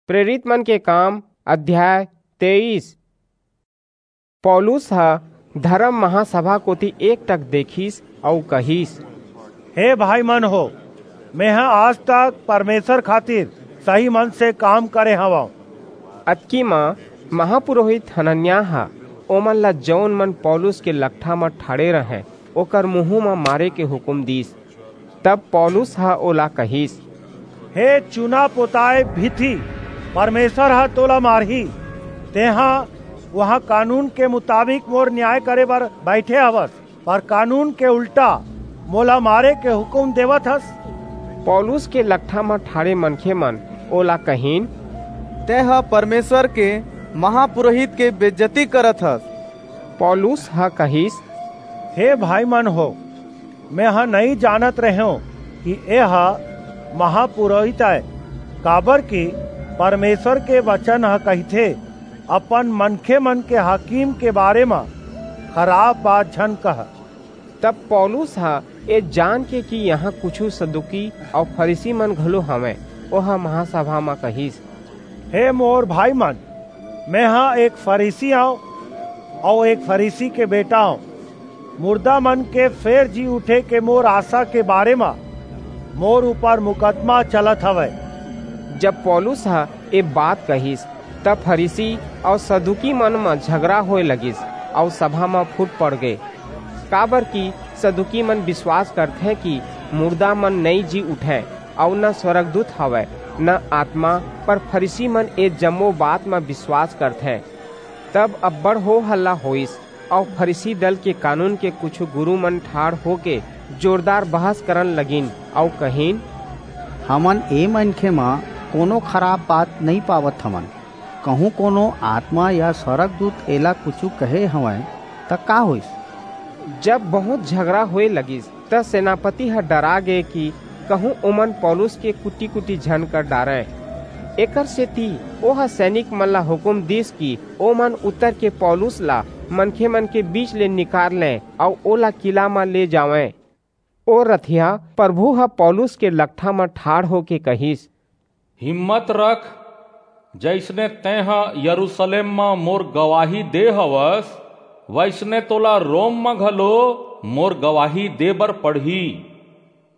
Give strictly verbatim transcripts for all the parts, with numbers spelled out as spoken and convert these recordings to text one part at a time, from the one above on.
प्रेरित मन के काम, अध्याय तेईस। पौलुस ह धर्म महासभा कोति एकटक देखिस अऊ कहिस, "हे भाई मन हो, मेंह आज तक परमेसर खातिर सही मन से काम करे हवंव।" अतकी म महापुरोहित हनन्याह ह ओमन ला, जऊन मन पौलुस के लकठा म ठाढ़े रहंय, ओकर मुहूं म मारे के हुकूम दीस। तब पौलुस ह ओला कहिस, "हे चुना पोताय भीथी, परमेसर ह तोला मारही। तेंह उहां कानून के मुताबिक मोर नियाय करे बर बईठे हवस, पर कानून के उल्टा मोला मारे के हुकूम देवत हस।" पौलुस के लकठा म ठाढ़े मनखे मन ओला कहिन, "तेंह परमेसर के महापुरोहित के बेजती करत हस।" पौलुस ह कहिस, "हे भाई मन हो, मेंह नइं जानत रहेंव कि एह महापुरोहित अय, काबरकि परमेसर के बचन ह कहिथे, 'अपन मनखे मन के हाकिम के बारे म खराप बात झन कह।'" तब पौलुस ह ए जान के कि इहां कुछू सदूकी अऊ फरीसी मन घलो हवंय, ओह महासभा म कहिस, "हे मोर भाई मन, मेंह एक फरीसी अंव अऊ एक फरीसी के बेटा अंव। मुरदा मन के फेर जी उठे के मोर आसा के बारे म मोर ऊपर मुकदमा चलत हवय।" जब पौलुस ह ए बात कहिस, तब फरीसी अऊ सदूकी मन म झगरा होय लगिस अऊ सभा म फूट पड़ गे, काबरकि सदूकी मन बिसवास करथें कि मुरदा मन नइं जी उठंय अऊ न स्वरगदूत हवय, न आतमा, पर फरीसी मन ए जम्मो बात म बिसवास करथें। तब अब्बड़ हो हल्ला होईस, अऊ फरीसी दल के कानून के कुछू गुरू मन ठाढ़ होके जोरदार बहस करन लगिन, अऊ कहिन, "हमन ए मनखे म कोनो खराप बात नइं पावत हवन। कहूं कोनो आतमा या स्वरगदूत एला कुछू कहे हवंय, त का होईस?" जब बहुंत झगरा होय लगिस, त सेनापति ह डरा गे कि कहूं ओमन पौलुस के कुटी-कुटी झन कर डारंय। एकरसेति ओह सैनिक मन ला हुकूम दीस कि ओमन उतरके पौलुस ला मनखे मन के बीच ले निकार लें अऊ ओला किला म ले जावंय। ओ रथिया परभू ह पौलुस के लकठा म ठाढ़ होके कहिस, "हिम्मत रख, जइसने तेंह यरूसलेम म मोर गवाही दे हवस, वइसने तोला रोम म घलो मोर गवाही दे बर पड़ही।"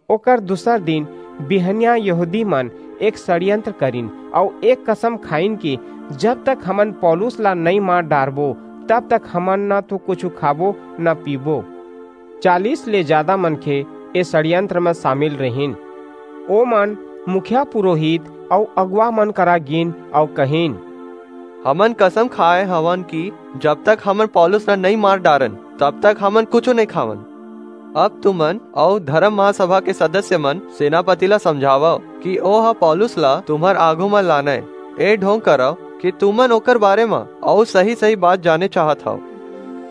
ओकर दूसर दिन बिहनिया यहूदी मन एक षड्यंत्र करिन अऊ एक कसम खाइन कि जब तक हमन पौलुस ला नइं मार डारबो, तब तक हमन न तो कुछू खाबो, न पीबो। चालीस ले जादा मनखे ए षड्यंत्र म सामिल रिहिन। ओमन मुखिया पुरोहित अऊ अगुवा मन करा गीन अऊ कहिन, "हमन कसम खाय हवन कि जब तक हमन पौलुस ला नइं मार डारन, तब तक हमन कुछू नइं खावन। अब तुमन अऊ धर्म महासभा के सदस्य मन सेनापति ला समझावव कि ओह पौलुस ला तुम्हर आघू म लानय। ए ढोंग करव कि तुमन ओकर बारे म अऊ सही-सही बात जाने चाहत हव,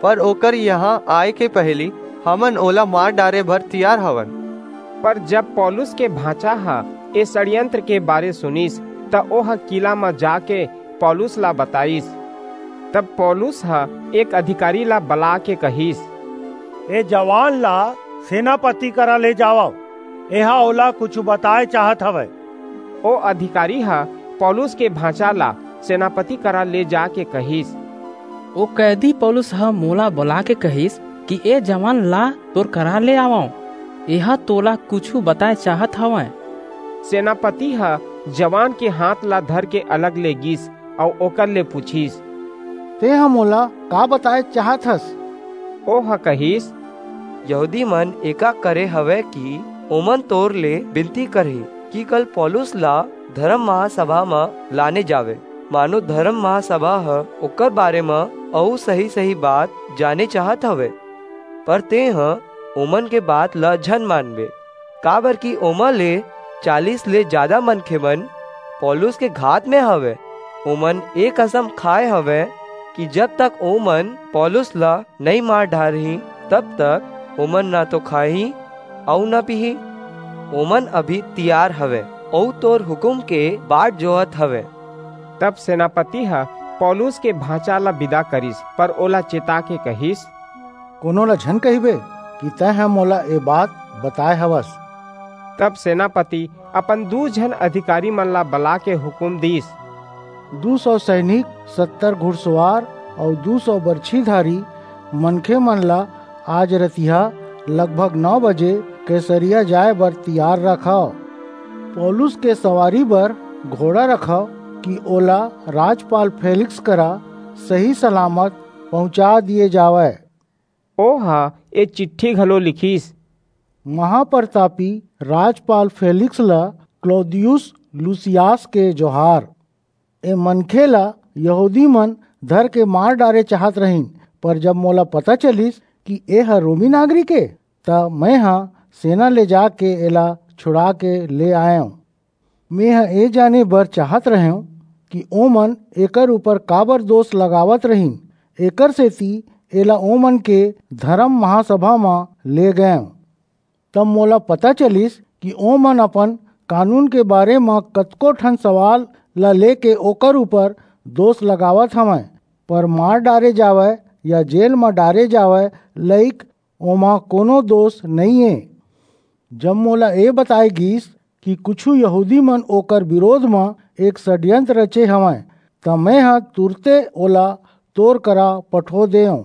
पर ओकर इहां आय के पहिली हमन ओला मार डारे बर तियार हवन।" पर जब पौलुस के भांचा ह ए षड्यंत्र के बारे सुनिस, त ओह किला म जाके पौलुस ला बताईस। तब पौलुस ह एक अधिकारी ला बलाके कहिस, "ए जवान ला सेनापति करा ले जावव, एहा ओला कुछू बताय चाहत हवय।" ओ अधिकारी ह पौलुस के भांचा ला सेनापति करा ले जाके कहिस, "ओ कैदी पौलुस ह मोला बलाके कहिस कि ए जवान ला तोर करा ले आवंव, एहा तोला कुछू बताय चाहत हवय।" सेनापति ह जवान के हांथ ला धरके अलग ले गीस अऊ ओकर ले पुछिस, "तेंह मोला का बताय चाहत हस?" ओह कहिस, "यहूदी मन एका करे हवय कि ओमन तोर ले बिनती करही कि कल पौलुस ला धर्म महासभा म लाने जावे, मानो धर्म महासभा ह ओकर बारे म अऊ सही-सही बात जाने चाहत हवय। पर तेंह ओमन के बात ल झन मानबे, काबरकि ओमा ले चालीस ले जादा मनखे मन पौलुस के घात में हवय। ओमन ए कसम खाय हवय कि जब तक ओमन पौलुस ल नइं मार डारहीं, तब तक ओमन न तो खाहीं अऊ न पीहीं। ओमन अभी तियार हवय अऊ तोर हुकूम के बाट जोहत हवय।" तब सेनापति ह पौलुस के भांचा ला बिदा करिस, पर ओला चेता के कहिस, "कोनो ला झन कहिबे कि तैं ह मोला ए बात बताय हवस।" तब सेनापति अपन दू झन अधिकारी मन ला बला के हुकूम दीस, दू सौ सैनिक, सत्तर घुड़सवार अउ दू सौ बरछीधारी मनखे मन ला आज रतिहा लगभग नौ बजे कैसरिया जाए बर तियार रखव। पौलुस के सवारी बर घोड़ा रखव, कि ओला राजपाल फेलिक्स करा सही सलामत पहुंचा दिए जावय। ओह ए चिट्ठी घलो लिखिस। महाप्रतापी राजपाल फेलिक्स ला क्लौदियुस लूसियास के जोहार। ए मनखे ला यहूदी मन धर के मार डारे चाहत रहिन, पर जब मोला पता चलिस कि ए ह रोमी नागरिक ए, त मैं ह सेना ले जाके एला छुड़ा के ले आयेंव। मैं ह ए जाने बर चाहत रहेंव कि ओमन एकर ऊपर काबर दोष लगावत रहिन, एकर सेती एला ओमन के धरम महासभा म ले गयेंव। तब मोला पता चलिस कि ओमन अपन कानून के बारे म कतको ठन सवाल ला लेके ओकर ऊपर दोष लगावत हवंय, पर मार डारे जावय या जेल म डारे जावय लइक ओमा कोनो दोष नइये। जब मोला ए बताय गीस कि कुछू यहूदी मन ओकर बिरोध म एक षड्यंत्र रचे हवंय, त मैं ह तुरते ओला तोर करा पठो देंव।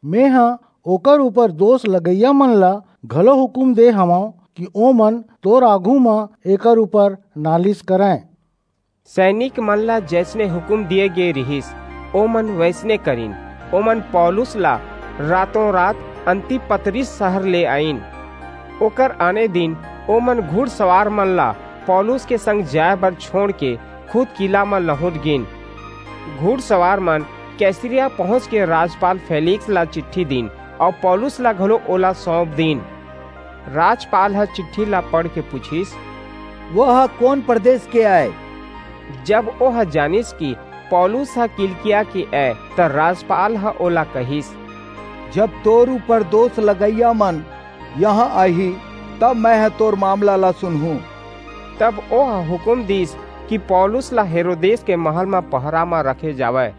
मैं ह ओकर ऊपर दोष लगइया मन ला घलो हुकूम दे हवंव कि ओमन तोर आघू म एकर ऊपर नालिस करंय। सैनिक मन ला जैसने हुकूम दिए गे रिहिस, ओमन वैसने करिन। ओमन पौलुस ला रातों रात अंतिपत्रिस शहर ले आइन। ओकर आने दिन ओमन घुड़सवार मन ला पौलुस के संग जाए बर छोड़ के खुद किला म लहुट गिन। घुड़सवार मन कैसरिया पहुंच के राजपाल फेलिक्स ला चिट्ठी दीन अउ पौलुस ला घलो ओला सौंप दीन। राजपाल ह चिट्ठी ला पढ़ के पूछिस, "वह कोन प्रदेश के आय?" जब ओह जानिस कि पौलुस ह किलिकिया के आय, त राजपाल ह ओला कहिस, "जब तोर ऊपर दोष लगइया मन यहाँ आही, तब मैं ह तोर मामला ला सुनहूं।" तब ओह हुकूम दीस कि पौलुस ला हेरोदेस के महल म पहरा म रखे जावय।